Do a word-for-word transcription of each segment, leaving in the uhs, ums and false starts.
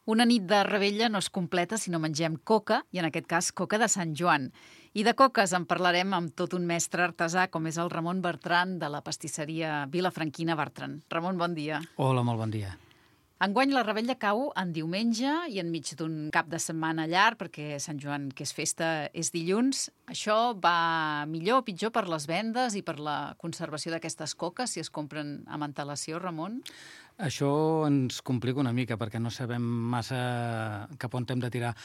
Una nit de revetlla no es completa si no mengem coca, i en aquest cas coca de Sant Joan. I de coques en parlarem amb tot un mestre artesà com és el Ramon Bertran de la pastisseria Vilafranquina Bertran. Ramon, bon dia. Hola, molt bon dia. Enguany la revetlla cau en diumenge i enmig d'un cap de setmana llarg, perquè Sant Joan, que és festa, és dilluns. Això va millor o pitjor per les vendes i per la conservació d'aquestes coques, si es compren amb antelació, Ramon? Això ens complica una mica, perquè no sabem massa cap on hem de tirar.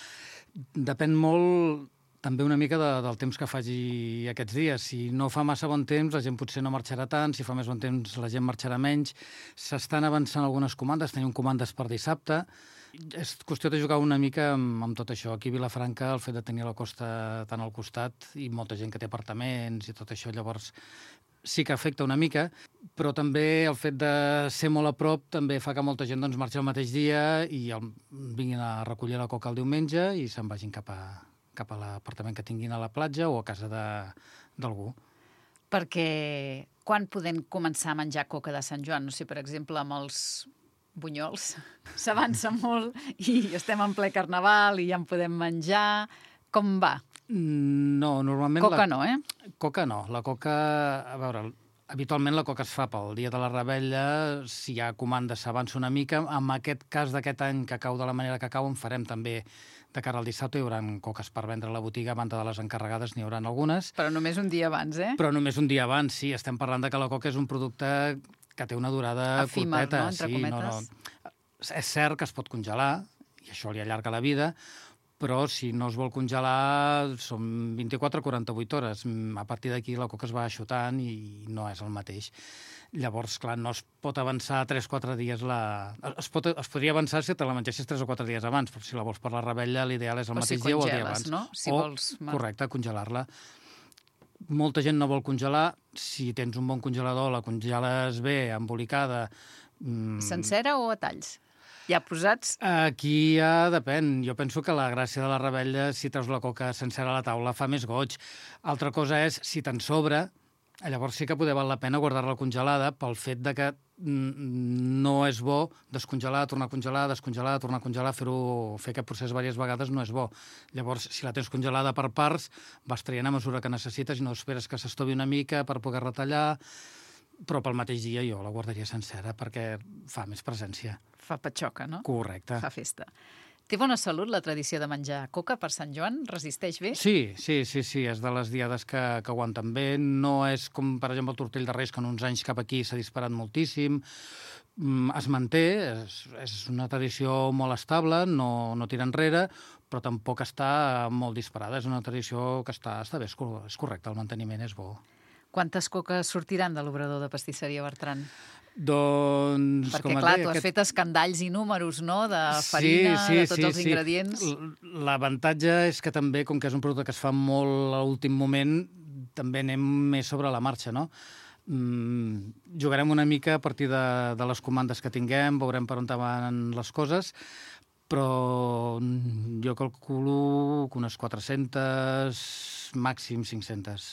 Depèn molt també una mica de, del temps que faci aquests dies. Si no fa massa bon temps, la gent potser no marxarà tant. Si fa més bon temps, la gent marxarà menys. S'estan avançant algunes comandes. Tenim comandes per dissabte. És qüestió de jugar una mica amb, amb tot això. Aquí a Vilafranca, el fet de tenir la costa tan al costat i molta gent que té apartaments i tot això, llavors sí que afecta una mica, però també el fet de ser molt a prop també fa que molta gent doncs, marxi el mateix dia i el, vinguin a recollir la coca el diumenge i se'n vagin cap a, cap a l'apartament que tinguin a la platja o a casa d'algú. Perquè quan podem començar a menjar coca de Sant Joan? No sé, per exemple, amb els bunyols s'avança molt i estem en ple carnaval i ja en podem menjar. Com va? No, normalment... Coca la... no, eh? Coca no. La coca, a veure, habitualment la coca es fa pel dia de la revetlla, si hi ha comanda s'avança una mica. En aquest cas d'aquest any que cau de la manera que cau, en farem també de cara al dissabte. Hi haurà coques per vendre a la botiga, a banda de les encarregades n'hi haurà algunes. Però només un dia abans, eh? Però només un dia abans, sí. Estem parlant de que la coca és un producte que té una durada efímer, curteta. No? Entre sí, cometes. No, no. És cert que es pot congelar, i això li allarga la vida, però si no es vol congelar són vint-i-quatre a quaranta-vuit hores. A partir d'aquí la coca es va aixutant i no és el mateix. Llavors, clar, no es pot avançar tres o quatre dies la... Es, pot, es podria avançar si te la mengessis tres o quatre dies abans, però si la vols per la revetlla, l'ideal és el o mateix si dia o el congeles, dia abans. No? Si o, vols... correcte, congelar-la. Molta gent no vol congelar. Si tens un bon congelador, la congeles bé, embolicada... Mmm... Sencera o a talls? Ja posats? Aquí ja depèn. Jo penso que la gràcia de la revetlla, si treus la coca sencera a la taula, fa més goig. Altra cosa és, si te'n sobra, llavors sí que poder val la pena guardar-la congelada pel fet de que no és bo descongelar, tornar a congelar, descongelar, tornar a congelar, fer-ho, fer aquest procés diverses vegades no és bo. Llavors, si la tens congelada per parts, vas traient a mesura que necessites i no esperes que s'estovi una mica per poder retallar, però pel mateix dia jo la guardaria sencera perquè fa més presència. Fa patxoca, no? Correcte. Fa festa. Té bona salut la tradició de menjar coca per Sant Joan? Resisteix bé? Sí, sí, sí, sí. És de les diades que, que aguanten bé. No és com, per exemple, el tortell de Reis, que en uns anys cap aquí s'ha disparat moltíssim. Es manté, és, és una tradició molt estable, no, no tira enrere, però tampoc està molt disparada. És una tradició que està, està bé, és correcte, el manteniment és bo. Quantes coques sortiran de l'obrador de pastisseria Bertran? Doncs, perquè, com clar, deia, tu has aquest... fet escandalls i números, no?, de farina, sí, sí, de tots sí, els sí. ingredients. L'avantatge és que també, com que és un producte que es fa molt a l'últim moment, també anem més sobre la marxa, no? Mm, jugarem una mica a partir de, de les comandes que tinguem, veurem per on van les coses, però jo calculo que unes quatre-centes, màxim cinc-centes.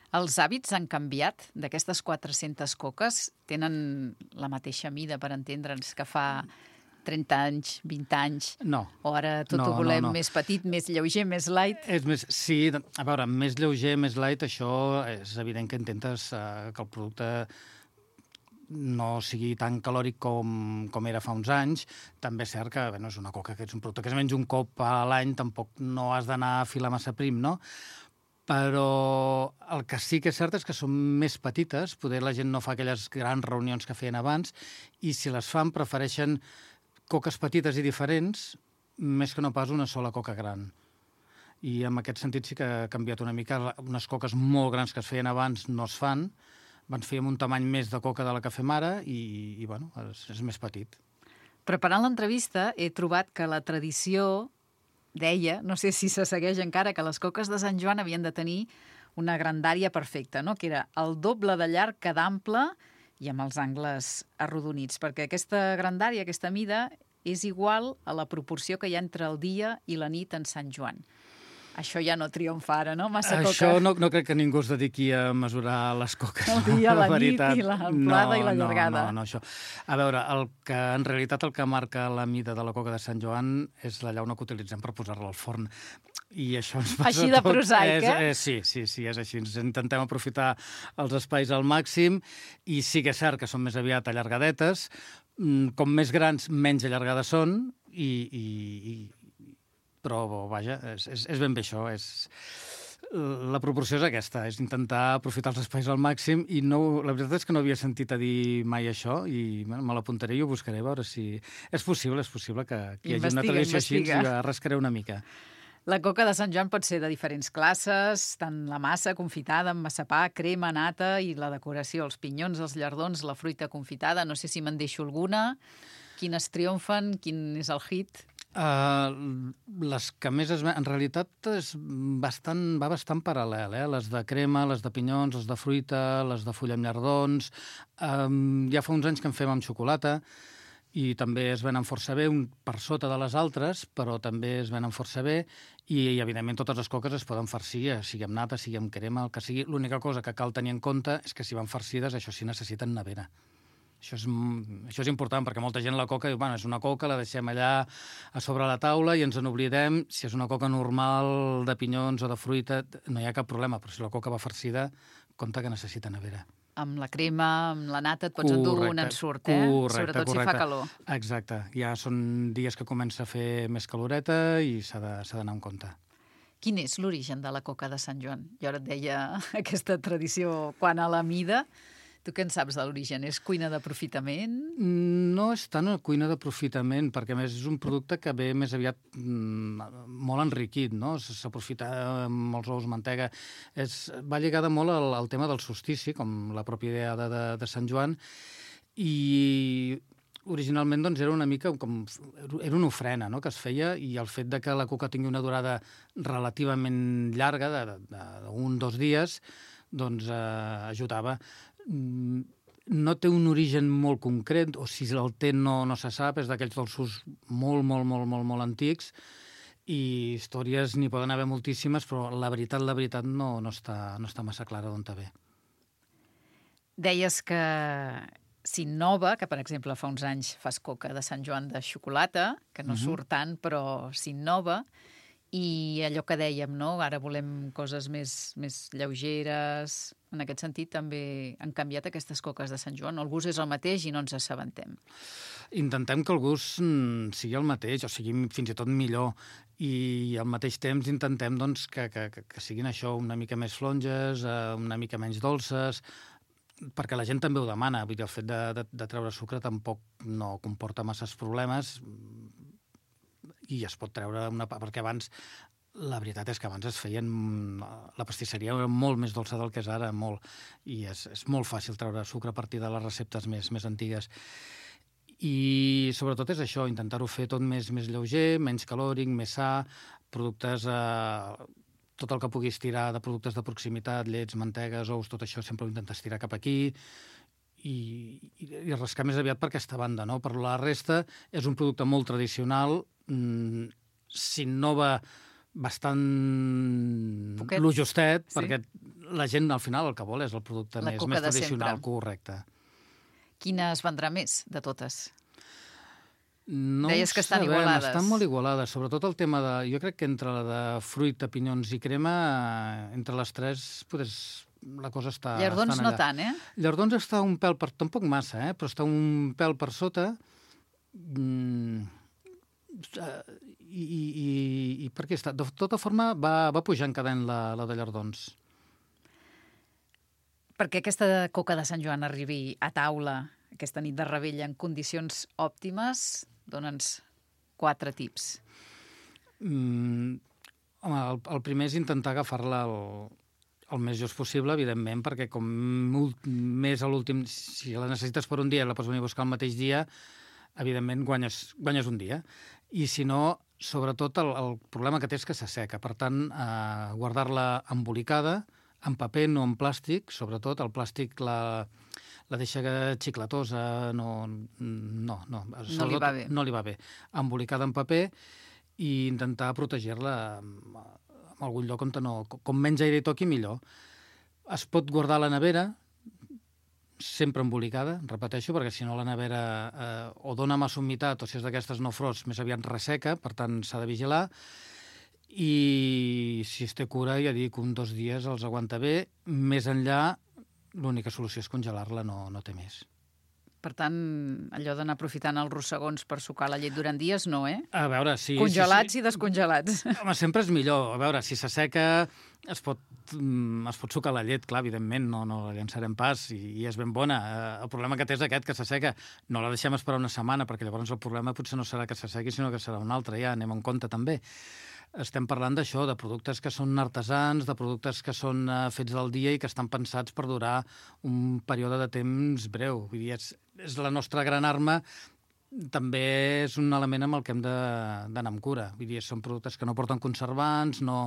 Els hàbits han canviat d'aquestes quatre-centes coques? Tenen la mateixa mida, per entendre'ns, que fa trenta anys, vint anys? No. O ara tot no, ho volem no, no. més petit, més lleuger, més light? És més, sí, a veure, més lleuger, més light, això és evident que intentes eh, que el producte no sigui tan calòric com, com era fa uns anys. També és cert que bé, no és una coca, que és un producte que es menja un cop a l'any, tampoc no has d'anar a filar massa prim, no? Però el que sí que és cert és que són més petites, poder la gent no fa aquelles grans reunions que feien abans, i si les fan prefereixen coques petites i diferents, més que no pas una sola coca gran. I en aquest sentit sí que ha canviat una mica. Unes coques molt grans que es feien abans no es fan, van fer amb un tamany més de coca de la que fem ara i, i bueno, és, és més petit. Preparant l'entrevista he trobat que la tradició deia, no sé si se segueix encara, que les coques de Sant Joan havien de tenir una grandària perfecta, no? Que era el doble de llarg que d'ample i amb els angles arrodonits, perquè aquesta grandària, aquesta mida, és igual a la proporció que hi ha entre el dia i la nit en Sant Joan. Això ja no triomfa ara, no? Massa coca. Això no, no crec que ningú es dediqui a mesurar les coques. El dia, la, la veritat. nit i la amplada no, i la llargada. No, no, no, això. A veure, el que, en realitat el que marca la mida de la coca de Sant Joan és la llauna que utilitzem per posar-la al forn. I això ens passa així de tot. prosaic, és, eh? eh? Sí, sí, sí, és així. Ens intentem aprofitar els espais al màxim i sí que és cert que són més aviat allargadetes. Com més grans, menys allargades són i... i, i però, vaja, és, és, és ben bé això. És... La proporció és aquesta, és intentar aprofitar els espais al màxim i no, la veritat és que no havia sentit a dir mai això i bueno, me l'apuntaré i ho buscaré a veure si... És possible, és possible que, que hi hagi una tradició així i la rascaré una mica. La coca de Sant Joan pot ser de diferents classes, tant la massa confitada amb massapà, crema, nata i la decoració, els pinyons, els llardons, la fruita confitada. No sé si me'n deixo alguna. Quines triomfen? Quin és el hit? Uh, les que més es... En realitat és bastant, va bastant paral·lel, eh? Les de crema, les de pinyons, les de fruita, les de fulla amb llardons. Um, ja fa uns anys que en fem amb xocolata i també es venen força bé, un per sota de les altres, però també es venen força bé i, i evidentment, totes les coques es poden farcir, sigui amb nata, sigui amb crema, el que sigui. L'única cosa que cal tenir en compte és que si van farcides, això sí necessiten nevera. Això és, això és important, perquè molta gent la coca diu, bueno, és una coca, la deixem allà a sobre la taula i ens en oblidem. Si és una coca normal de pinyons o de fruita, no hi ha cap problema, però si la coca va farcida, compte que necessita nevera. Amb la crema, amb la nata, et pots endur un ensurt, eh? Correcte, sobretot correcte. Si fa calor. Exacte. Ja són dies que comença a fer més caloreta i s'ha d'anar en compte. Quin és l'origen de la coca de Sant Joan? Jo ara et deia aquesta tradició quant a la mida. Tu què en saps de l'origen? És cuina d'aprofitament? No és tant una cuina d'aprofitament, perquè a més és un producte que ve més aviat mm, molt enriquit, no? S'aprofita molts ous, mantega. És, va lligada molt al, al tema del solstici, com la pròpia idea de, de, de Sant Joan, i originalment doncs, era una mica com... Era una ofrena, no?, que es feia, i el fet de que la coca tingui una durada relativament llarga, d'un, dos dies, doncs eh, ajudava. No té un origen molt concret, o si el té no, no se sap, és d'aquells dolços molt, molt, molt, molt, molt antics, i històries n'hi poden haver moltíssimes, però la veritat, la veritat, no, no, està, no està massa clara d'on te ve. Deies que s'innova, que per exemple fa uns anys fas coca de Sant Joan de xocolata, que no uh-huh. surt tant, però s'innova, i allò que dèiem, no? Ara volem coses més, més lleugeres. En aquest sentit també han canviat aquestes coques de Sant Joan. El gust és el mateix i no ens assabentem. Intentem que el gust sigui el mateix, o sigui fins i tot millor, i al mateix temps intentem doncs, que, que, que siguin això una mica més flonges, una mica menys dolces, perquè la gent també ho demana. Vull dir, el fet de, de, de treure sucre tampoc no comporta masses problemes, i es pot treure una... perquè abans, la veritat és que abans es feien... La pastisseria era molt més dolça del que és ara, molt, i és, és molt fàcil treure sucre a partir de les receptes més, més antigues. I sobretot és això, intentar-ho fer tot més, més lleuger, menys calòric, més sa, productes... Eh, tot el que puguis tirar de productes de proximitat, llets, mantegues, ous, tot això sempre ho intentes tirar cap aquí, i, i, i rascar més aviat per aquesta banda, no? Per la resta és un producte molt tradicional, mm, s'innova bastant Poquet. lo justet, Sí. perquè la gent al final el que vol és el producte La més, coca més de tradicional, sempre. correcte. Quina es vendrà més de totes? No Deies que estan sabem, igualades. Estan molt igualades, sobretot el tema de... Jo crec que entre la de fruita, pinyons i crema, entre les tres, potser la cosa està... Llardons no tant, eh? Llardons està un pèl per... Tampoc massa, eh? Però està un pèl per sota. Mm, i, i, i, I per què està? De tota forma, va, va pujant cada any la, la de llardons. Perquè aquesta coca de Sant Joan arribi a taula aquesta nit de Rebella en condicions òptimes, dona'ns quatre tips. Mm, home, el, el primer és intentar agafar-la el, el més just possible, evidentment, perquè com més a l'últim... Si la necessites per un dia i la pots venir a buscar el mateix dia, evidentment guanyes, guanyes un dia. I si no, sobretot el, el problema que té és que s'asseca. Per tant, eh, guardar-la embolicada, en paper, no en plàstic, sobretot. El plàstic la, la deixa xiclatosa, no... No, no, no li va bé. No li va bé. Embolicada en paper i intentar protegir-la amb, en algun lloc on no... Com menys aire hi toqui, millor. Es pot guardar a la nevera, sempre embolicada, repeteixo, perquè si no la nevera eh, o dona massa humitat, o si és d'aquestes no frost, més aviat resseca, per tant s'ha de vigilar. I si es té cura, ja dic, un dos dies els aguanta bé. Més enllà, l'única solució és congelar-la, no, no té més. Per tant, allò d'anar aprofitant els rossegons per sucar la llet durant dies, no, eh? A veure, sí... Congelats sí, sí. i descongelats. Home, sempre és millor. A veure, si s'asseca, es pot, es pot sucar la llet, clar, evidentment, no, no la llançarem pas i, i és ben bona. El problema que té és aquest, que s'asseca. No la deixem esperar una setmana, perquè llavors el problema potser no serà que s'assequi, sinó que serà un altre, ja anem en compte també. Estem parlant d'això, de productes que són artesans, de productes que són uh, fets del dia i que estan pensats per durar un període de temps breu. Vull dir, és, és la nostra gran arma, també és un element amb el que hem d'anar amb cura. Vull dir, són productes que no porten conservants, no,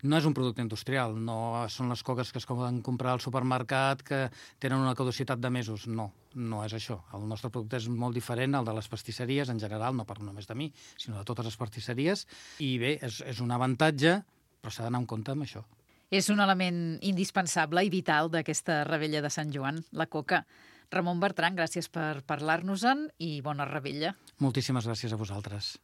no és un producte industrial, no són les coques que es poden comprar al supermercat que tenen una caducitat de mesos. No, no és això. El nostre producte és molt diferent al de les pastisseries, en general, no parlo només de mi, sinó de totes les pastisseries. I bé, és, és un avantatge, però s'ha d'anar en compte amb això. És un element indispensable i vital d'aquesta Revetlla de Sant Joan, la coca. Ramon Bertran, gràcies per parlar-nos-en i bona revetlla. Moltíssimes gràcies a vosaltres.